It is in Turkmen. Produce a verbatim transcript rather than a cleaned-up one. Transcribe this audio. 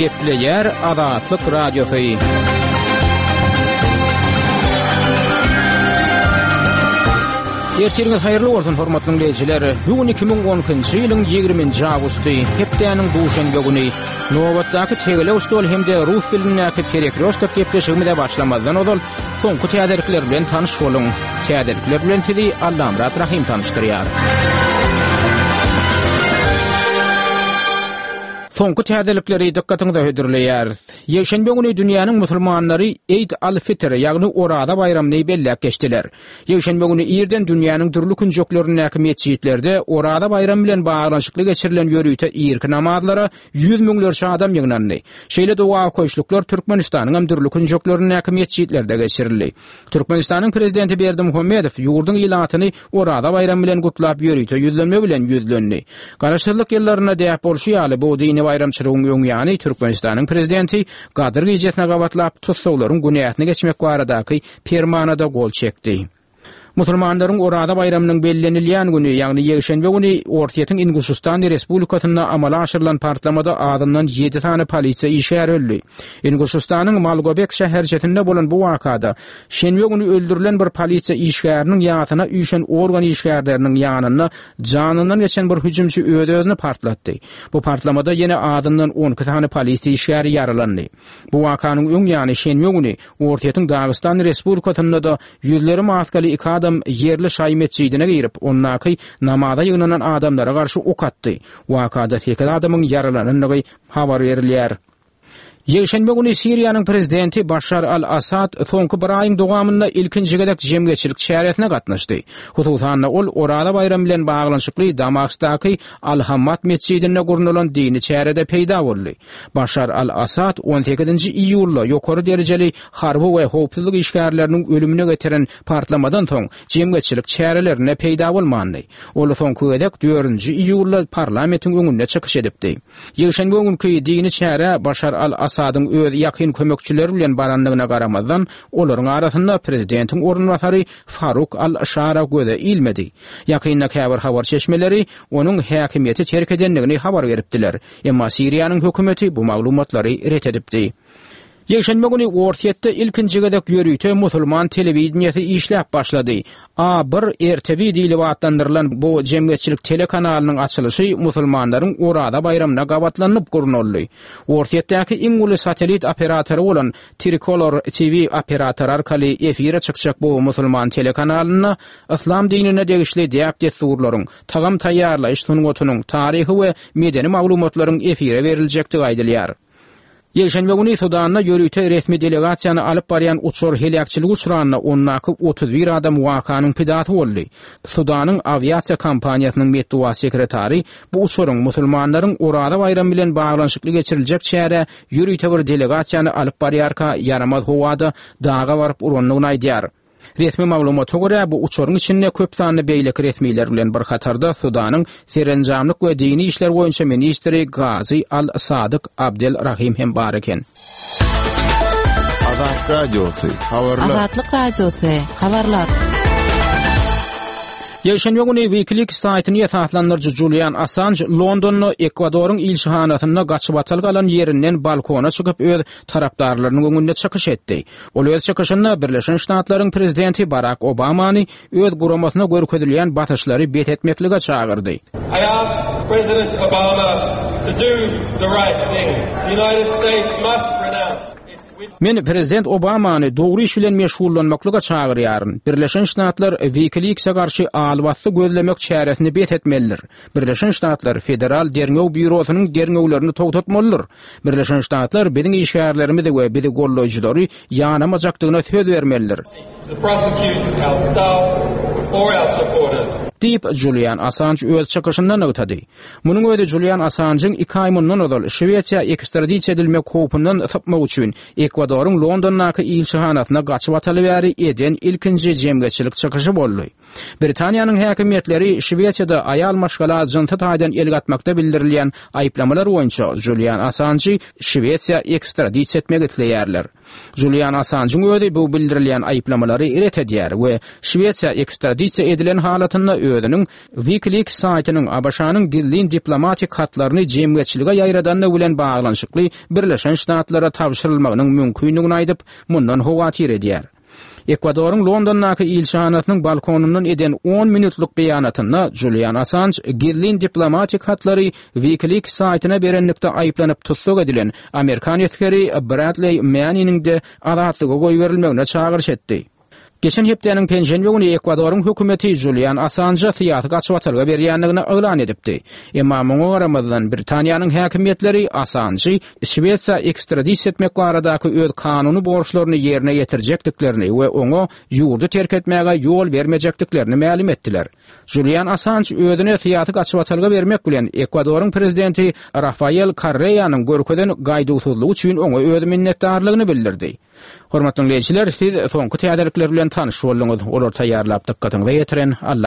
Gepleýär Azatlyk Radiosy. Ertiriňiz haýyrly bolsun, hormatly dinleýjiler. Bu gün iki müň on ikinji ýylyň ýigriminji awgusty, hepdäniň duşenbe güni. Nobatdaky tegelek stol hem-de rus dilindäki perekrýostok gepleşigimize başlamazdan ozal soňky täzelikler bilen tanyş boluň. Täzelikler bilen sizi Allamyrat Rahym tanyşdyrýar. Soňky täzelikleri dykgatyňyza hödürleýäris. Ýekşenbe güni dünýäniň musulmanlary Eid al-Fitr, ýagny Oraza baýramyny belläp geçdiler. Ýekşenbe güni irden dünýäniň dürli künjeklerindäki metjitlerde Oraza baýramy bilen baglanyşykly geçirilen ýörite irki namazlara ýüz müňlerçe adam ýygnandy. Şeýle doga okaýyşlyklar Türkmenistanyň hem dürli künjeklerindäki metjitlerde geçirildi. Türkmenistanyň prezidenti Berdimuhamedow ýurduň ilatyny Oraza baýramy bilen gutlap ýörite ýüzlenme bilen ýüzlendi. Garaşsyzlyk ýyllarynda däp bolşy ýaly bu dini baýramçylygyň öň ýany Türkmenistanyň prezidenti Gadyr gijesine gabatlap tussaglaryň günäsini geçmek baradaky permanada gol çekdi. Musulmanlaryň Oraza baýramynyň bellenilýän güni, ýagny ýekşenbe güni Orsýetiň Inguşistan Respublikasynda amala aşyrylan partlamada azyndan ýedi sany polisiýa işgäri öldü. Inguşistanyň Malgobek şäherçesinde bolan bu wakada şenbe güni öldürilen bir polisiýa işgäriniň ýasyna üýşen organ işgärleriniň ýanynda janyndan geçen bir hüjümçi öz-özüni partlatdy. Bu partlamada ýene azyndan on iki sany polisiýa işgäri ýaralandy. Bu wakanyň öň ýany şenbe güni Orsýetiň Dagystan Respublikasynda da ýüzleri maskaly iki adam ýerli şaý metjidine girip, ondaky namaza ýygnanan adamlara garşy ok atdy. Wakada sekiz adamyň ýaralanandygy habar berilýär. Ýekşenbe güni Siriýanyň prezidenti Başar al-Assad soňky bir aýyň dowamynda ilkinji gezek jemgyýetçilik çäresine gatnaşdy. Hususan ol Oraza baýramy bilen baglanyşykly Damaskdaky Al-Hammad metjidinde gurnalan dini çärede peýda boldy. Başar al-Assad on sekizinji iýulda ýokary derejeli harby we howpsuzlyk işgärleriniň ölümine getiren partlamadan soň jemgyýetçilik çärelerinde peýda bolmandy. Ol soňky gezek dördünji iýulda parlamentiň öňünde çykyş edipdi. Ýekşenbe günkü dini çäre Başar al-Assadyň öz ýakyn kömekçileri bilen barandygyna garamazdan, olaryň arasynda prezidentiň orunbasary Faruk al-Şara göze ilmedi. Ýakynda käbir habar çeşmeleri onuň häkimiýeti terk edendigini habar beripdiler. Emma Siriýanyň hökümeti bu maglumatlary ret edipdi. Ýekşenbe güni Orsýetde ilkinji gezek ýörite musulman telewideniýesi işläp başlady. A bir R T V diýlip atlandyrylan bu jemgyýetçilik telekanalynyň açylyşy musulmanlaryň Oraza baýramyna gabatlanyp gurnaldy. Orsýetdäki iň uly satellit operatory bolan Tricolor T V operatory arkaly efire çykjak bu musulman telekanalynda yslam dinine degişli däp-dessurlaryň, tagam taýýarlaýyş sungatynyň, taryhy we medeni maglumatlaryň efire beriljekdigi aýdylýar. Ýekşenbe güni Sudanda ýörite resmi delegasiýany alyp barýan uçar heläkçilik uçranda ondaky otuz bir adam wakanyň pidasy boldy. Sudanyň awiasiýa kompaniýasynyň metbugat sekretary bu uçaryň musulmanlaryň Oraza baýramy bilen baglanyşykly geçiriljek çäre ýörite bir delegasiýany alyp barýarka ýaramaz howada daga baryp urandygyny aýdýar. Resmi maglumata görä bu uçaryň içinde köp sanly beýleki resmiler bilen bir hatarda Sudanyň serenjamlyk we dini işler boýunça ministri Gazi Al-Sadyk Abdel Rahim hem bar eken. Azatlyk Radiosy, habarlar. Azatlyk Radiosy, habarlar. Ýekşenbe güni WikiLeaks saýtyny esaslandyryjy Julian Assange Londonda Ekwadoryň ilçihanasynda gaçyp atal galan ýerinden balkona çykyp öz tarapdarlarynyň öňünde çykyş etdi. Ol öz çykyşynda Birleşen Ştatlaryň prezidenti Barack Obamany öz guramasyna görkezilýän basyşlary bet etmeklige çagyrdy. I ask President Obama to do the right thing. The United States must renounce Men Prezident Obamany dogry iş bilen meşgullanmaklyga çagyrýaryn. Birleşen Ştatlar WikiLeaks-e garşy albassy gözlemek çäresini bet etmelidir. Birleşen Ştatlar Federal Derňew Býurosynyň derňewlerini togtatmalydyr. Birleşen Ştatlar biziň işgärlerimizi we bizi gollaýjylary ýanamajakdygyna söz bermelidir. To prosecute our staff or our supporters. Diýip Julian Assange öz çykyşynda nygtady. Munuň özi Julian Assange'yň iki aý mundan ozal Şwesiýa ekstradisiýa edilmek howpundan sypmak üçin Ekwadoryň Londondaky ilçihanasyna gaçyp ataly bäri eden ilkinji jemgyýetçilik çykyşy boldy. Britaniýanyň häkimiýetleri Şwesiýada aýal maşgala jynsy taýdan el gatmakda bildirilýän aýyplamalar boýunça Julian Assanjy Şwesiýa ekstradisiýa etmek isleýärler. Julian Assanjyň özi bu bildirilýän aýyplamalary ret edýär we Şwesiýa ekstradisiýa edilen halatynda özüniň WikiLeaks saýtynyň ABŞ-nyň gizlin diplomatik hatlaryny jemgyýetçilige ýaýradandygy bilen baglanyşykly Birleşen Ştatlara tabşyrylmagynyň mümkindigini aýdyp, mundan howatyr edýär. Ekwadoryň Londondaky ilçihanasynyň balkonyndan eden on minutlyk beýanatynda Julian Assange gizlin diplomatik hatlary WikiLeaks saýtyna berenlikde aýyplanyp tussag edilen amerikan esgeri Bradley Manniniň-de azatlyga goýberilmegine çagyryş etdi. Geçen hepdäniň penşenbe güni Ekwadoryň hökümeti Julian Assanja syýasy gaçybatalga berýändigini yglan edipdi. Emma muňa garamazdan Britaniýanyň häkimiýetleri Assanjy Şwesiýa ekstradisiýa etmek baradaky öz kanuny borçlaryny ýerine ýetirjekdiklerini we oňa ýurdy terk etmäge ýol bermejekdiklerini mälim etdiler. Julian Assange özüne syýasy gaçybatalga bermek bilen Ekwadoryň prezidenti Rafael Correa'nyň görkezen gaýduwsyzlygy üçin oňa öz minnetdarlygyny bildirdi. Hormatly dinleýjiler, siz soňky täzelikler bilen tanyş bolduňyz. Olar taýýarlap dykgatyňyza ýetiren Allah